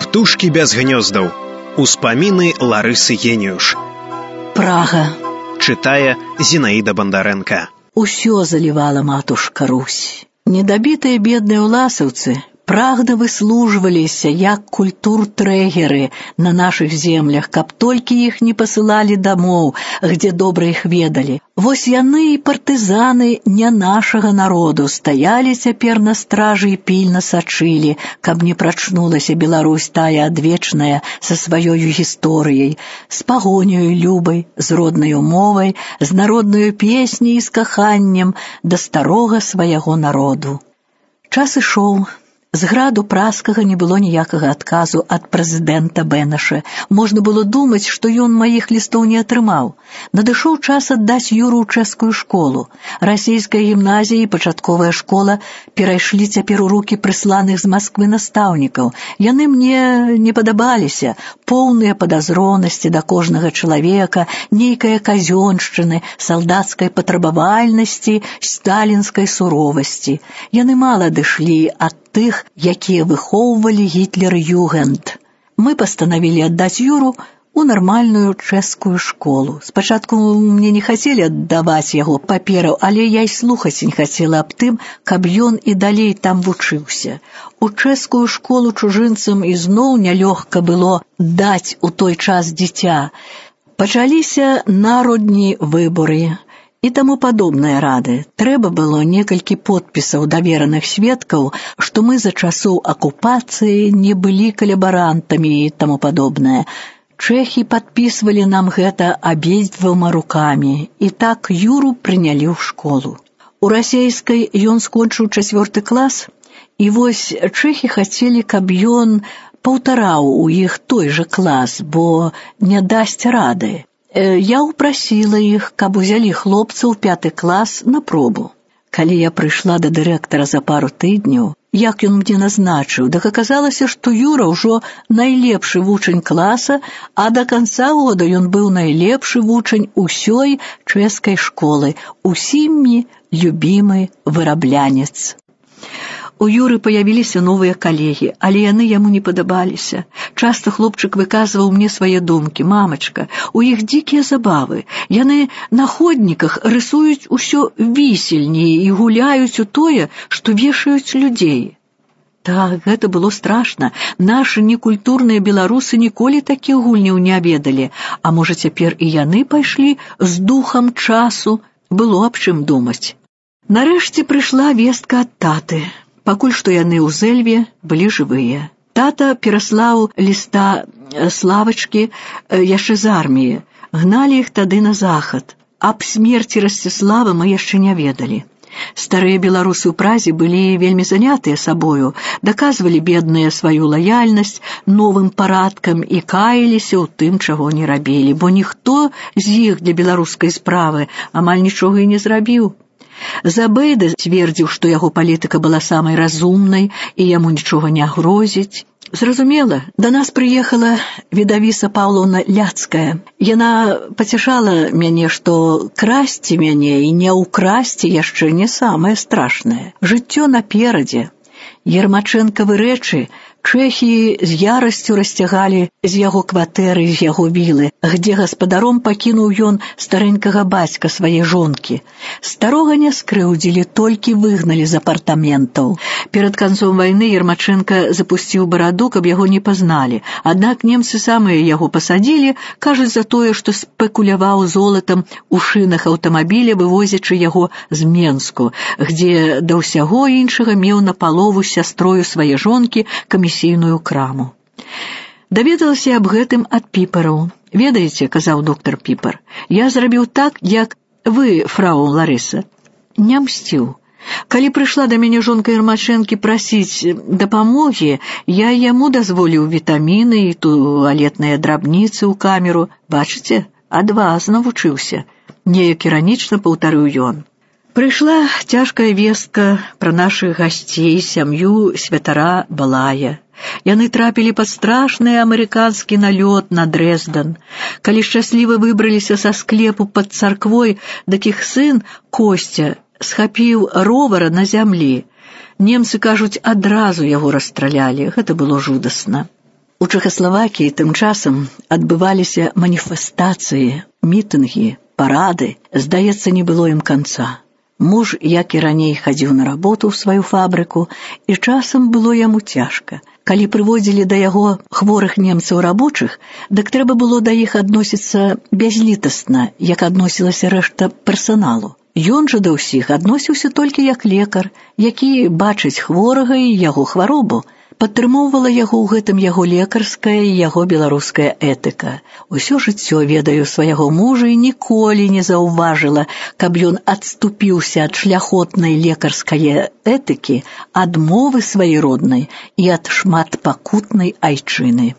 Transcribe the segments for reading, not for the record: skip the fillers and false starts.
Птушкі без гнёздаў. Успаміны Ларысы Геніюш. Прага. Чытае Зінаіда Бандарэнка. Усё залівала матушка Русь. Недабітыя бедныя ўласаўцы прагна выслужваліся як культур-трэгеры на нашых землях, каб толькі іх не пасылалі дамоў, где добра іх ведалі. Вось яны і партызаны не нашага народу стаялі цяпер на стражы і пільна сачылі, каб не прачнулася Беларусь тая адвечная са сваёю гісторыяй, з пагоняю любай, з роднаю мовай, з народнаю песняй і з каханнем да старога свайго народу. Час ішоў. З граду праскага не было ніякага адказу ад прэзідэнта Бэнаша. Можна было думаць, што ён маіх лістоў не атрымаў. Надышоў час аддаць Юру ў чэшскую школу. Расійская гімназія і пачатковая школа перайшлі цяпер у рукі прысланых з Масквы настаўнікаў. Яны мне не падабаліся. Поўныя падазронасці да кожнага чалавека, нейкая казёншчыны, салдацкай патрабавальнасці, сталінскай суровасці. Яны мала адышлі ад тых, якія выхоўвалі Гітлер-Югенд. Мы пастанавілі аддаць Юру у нармальную чэшскую школу. Спачатку мне не хацелі аддаваць яго папераў, але я і слухаць не хацела аб тым, каб ён і далей там вучыўся. У чэшскую школу чужынцам ізноў нялёгка было даць у той час дзіця. Пачаліся народні выборы і таму падобныя рады. Трэба было некалькі подпісаў давераных сведкаў, што мы за часоў акупацыі не былі калабарантамі і таму падобнае. Чэхі падпісвалі нам гэта абедзвюма рукамі, і так Юру прынялі ў школу. У расейскай ён скончыў 4 клас, і вось чэхі хацелі, каб ён паўтараў у іх той жа клас, бо не дасць рады. Я ўпрасіла іх, каб узялі хлопца ў 5 клас на пробу. Калі я прыйшла да дырэктара за пару тыдняў, як ён мне назначыў, так аказалася, што Юра ўжо найлепшы вучань класа, а да канца года ён быў найлепшы вучань усёй чэшскай школы, усімі любімы выраблянец. У Юры паявіліся новыя калегі, але яны яму не падабаліся. Часта хлопчык выказваў мне свае думкі. «Мамачка, у іх дзікія забавы. Яны на ходніках рысуюць усё вісельней і гуляюць у тое, што вешаюць людзей». Так, гэта было страшна. Нашы некультурныя беларусы ніколі такіх гульняў не ведалі. А можа, цяпер і яны пайшлі з духам часу? Было аб чым думаць. Нарэшце прыйшла вестка ад таты. Пакуль што яны ў Зэльве былі жывыя. Тата пераслаў ліста Славачкі яшчэ з арміі. Гналі іх тады на захад. Аб смерці Расціслава мы яшчэ не ведалі. Старыя беларусы ў Празе былі вельмі занятыя сабою, даказвалі бедныя сваю лаяльнасць новым парадкам і каяліся ў тым, чаго не рабілі, бо ніхто з іх для беларускай справы амаль нічога і не зрабіў. Забейда цвердзіў, што яго палітыка была самай разумнай і яму нічога не грозіць. Зразумела, да нас прыехала Відавіса Паўлаўна Ляцкая. Яна пацяшала мяне, што красці мяне і не ўкрасці яшчэ не самае страшнае. Жыццё наперадзе. Ермачэнкавы рэчы чэхі з ярасцю расцягалі з яго кватэры, з яго вілы, где гаспадаром пакінуў ён старэнькага бацька свае жонкі. Старога не скрыўдзілі, толькі выгналі з апартаментаў. Перад канцом вайны Ермачэнка запусціў бараду, каб яго не пазналі. Аднак немцы самыя яго пасадзілі, кажуць за тое, што спекуляваў золатам у шынах аўтамабіля, вывозячы яго з Менску, где да ўсяго іншага меў напалову сястрою свае жонкі камісійную краму. Даведалася аб гэтым ад Піпараў. «Ведаеце, — казаў доктар Піпар, — я зрабіў так, як вы, фрау Ларыса, не мсціў. Калі прыйшла да мяне жонка Ермачэнкі прасіць дапамогі, я яму дазволіў вітаміны і туалетныя драбніцы ў камеру. Бачыце, ад вас навучыўся», — неяк іранічна паўтарыў ён. Прыйшла цяжкая вестка пра нашых гасцей, сям'ю святара Балая. Яны трапілі пад страшны амерыканскі налёт на Дрэздэн. Калі шчасліва выбраліся са склепу пад царквой, дык іх сын Косця схапіў ровара на зямлі. Немцы кажуць, адразу яго расстралялі. Гэта было жудасна. У Чэхаславакіі тым часам адбываліся маніфестацыі, мітынгі, парады. Здаецца, не было ім канца. Муж, як і раней, хадзіў на работу ў сваю фабрыку, і часам было яму цяжка. Калі прыводзілі да яго хворых немцаў рабочых, дык трэба было да іх адносіцца бязлітасна, як адносілася рэшта персаналу. Ён жа да ўсіх адносіўся толькі як лекар, які бачыць хворага і яго хваробу. Падтрымоўвала яго ў гэтым яго лекарская і яго беларуская этыка. Усё жыццё ведаю свайго мужа і ніколі не заўважыла, каб ён адступіўся ад шляхотнай лекарскай этыкі, ад мовы сваёй роднай і ад шматпакутнай айчыны.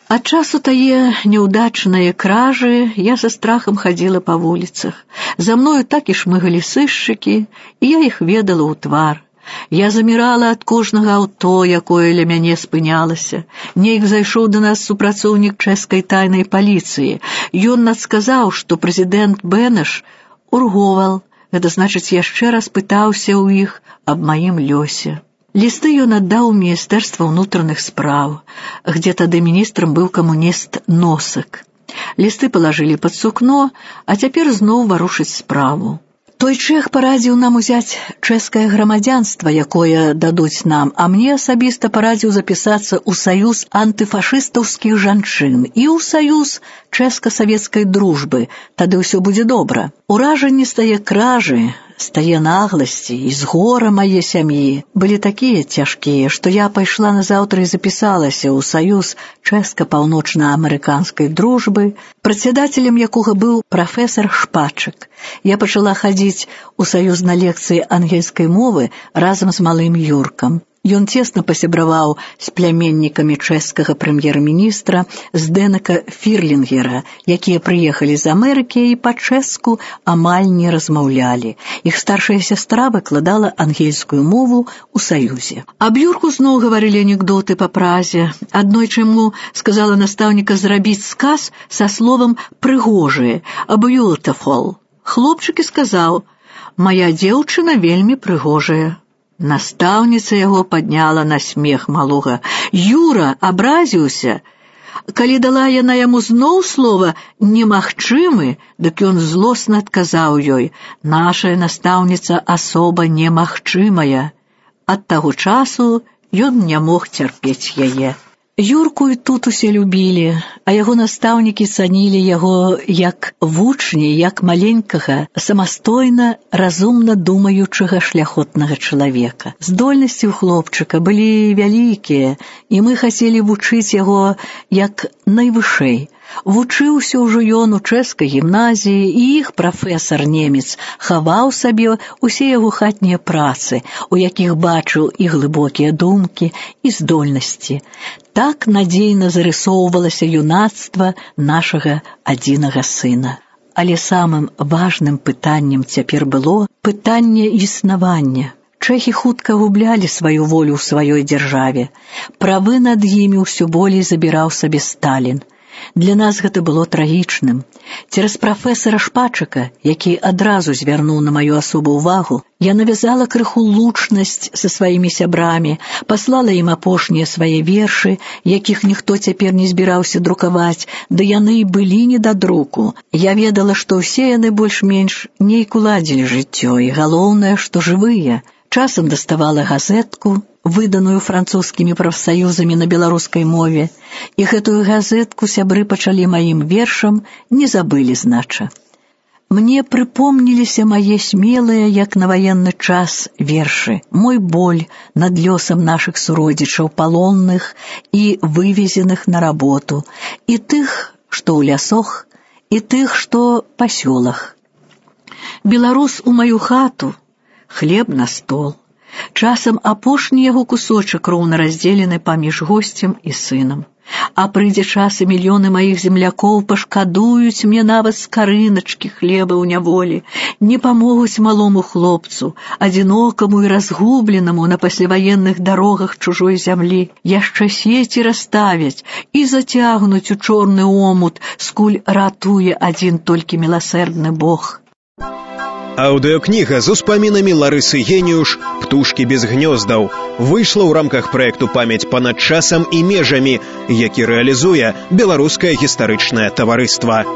Ад часу тае няўдачныя кражы я са страхам хадзіла па вуліцах. За мною так і шмыгалі сышчыкі, і я іх ведала ў твар. Я замірала ад кожнага аўто, якое ля мяне спынялася. Нейк зайшоў да нас супрацоўнік чэшскай тайнай паліцыі. Ён надсказаў, што прэзідэнт Бэнеш урговал. Гэта значыць, яшчэ раз пытаўся ў іх аб маім лёсе. Лісты ён аддаў у Міністэрства ўнутраных спраў, где тады міністрам быў камуніст Носак. Лісты палажылі пад сукно, а цяпер зноў варушыць справу. Той чэх парадзіў нам узяць чэшскае грамадзянства, якое дадуць нам, а мне асабіста парадзіў запісацца ў саюз антыфашыстаўскіх жанчын і ў саюз чэшска-савецкай дружбы, тады ўсё будзе добра. Уражанні з тае кражы, з тае нагласці і з гора мае сям'і былі такія цяжкія, што я пайшла назаўтра і запісалася ў саюз чэшска-паўночна-амерыканскай дружбы, прадседателем якога быў прафесар Шпачык. Я пачала хадзіць у саюз на лекцыі ангельскай мовы разам з малым Юркам. Ён цесна пасябраваў з пляменнікамі чэшскага прэм'ер-міністра Здэнека Фірлінгера, якія прыехалі з Амерыкі і па-чэшску амаль не размаўлялі. Іх старшая сястра выкладала ангельскую мову ў саюзе. Аб Юрку зноў гаварылі анекдоты па празе. Аднойчы яму сказала настаўніка зрабіць сказ са словам «прыгожыя» «beautiful». Хлопчык і сказаў: «Мая дзеўчына вельмі прыгожая». Настаўніца яго падняла на смех малога. Юра абразіўся. Калі дала яна яму зноў слова «немагчымы», дык ён злосна адказаў ёй: «Нашая настаўніца асоба немагчымая». Ад таго часу ён не мог цярпець яе. Юрку і тут усе любілі, а яго настаўнікі цанілі яго як вучні, як маленькага, самастойна, разумна думаючага шляхотнага чалавека. Здольнасці ў хлопчыка былі вялікія, і мы хацелі вучыць яго як найвышэй. Вучыўся ўжо ён у чэшскай гімназіі, і іх прафесар-немец хаваў сабе ўсе яго хатнія працы, у якіх бачыў і глыбокія думкі, і здольнасці. Так надзейна зарысоўвалася юнацтва нашага адзінага сына. Але самым важным пытаннем цяпер было пытанне існавання. Чэхі хутка гублялі сваю волю ў сваёй дзяржаве. Правы над імі ўсё болей забіраў сабе Сталін. Для нас гэта было трагічным. Цераз прафесара Шпачыка, які адразу звярнуў на маю асобу ўвагу, я навязала крыху лучнасць са сваімі сябрамі, паслала ім апошнія свае вершы, якіх ніхто цяпер не збіраўся друкаваць, ды яны і былі не да друку. Я ведала, што ўсе яны больш-менш нейк уладзілі жыццё, і галоўнае, што жывыя. Часам даставала газетку, выданую французскімі прафсаюзамі на беларускай мове, і гэтую газетку сябры пачалі маім вершам, не забылі, знача. Мне прыпомніліся мае смелыя, як на ваенны час, вершы, мой боль над лёсам нашых суродзічаў палонных і вывезеных на работу, і тых, што ў лясох, і тых, што па сёлах. Беларус у маю хату, хлеб на стол. Часам апошні яго кусочак роўна раздзелены паміж госцем і сынам. А прыйдзе час, і мільёны маіх землякоў пашкадуюць мне нават скарыначкі хлеба ў няволі, не памогуць малому хлопцу, адзінокаму і разгубленаму на пасляваенных дарогах чужой зямлі. Яшчэ сеці расставяць і зацягнуць у чорны омут, скуль ратуе адзін толькі міласэрдны Бог. Аўдыёкніга з успамінамі Ларысы Геніюш «Птушкі без гнёздаў» выйшла ў рамках праекту «Памяць панад часам і межамі», які рэалізуе Беларускае гістарычнае таварыства.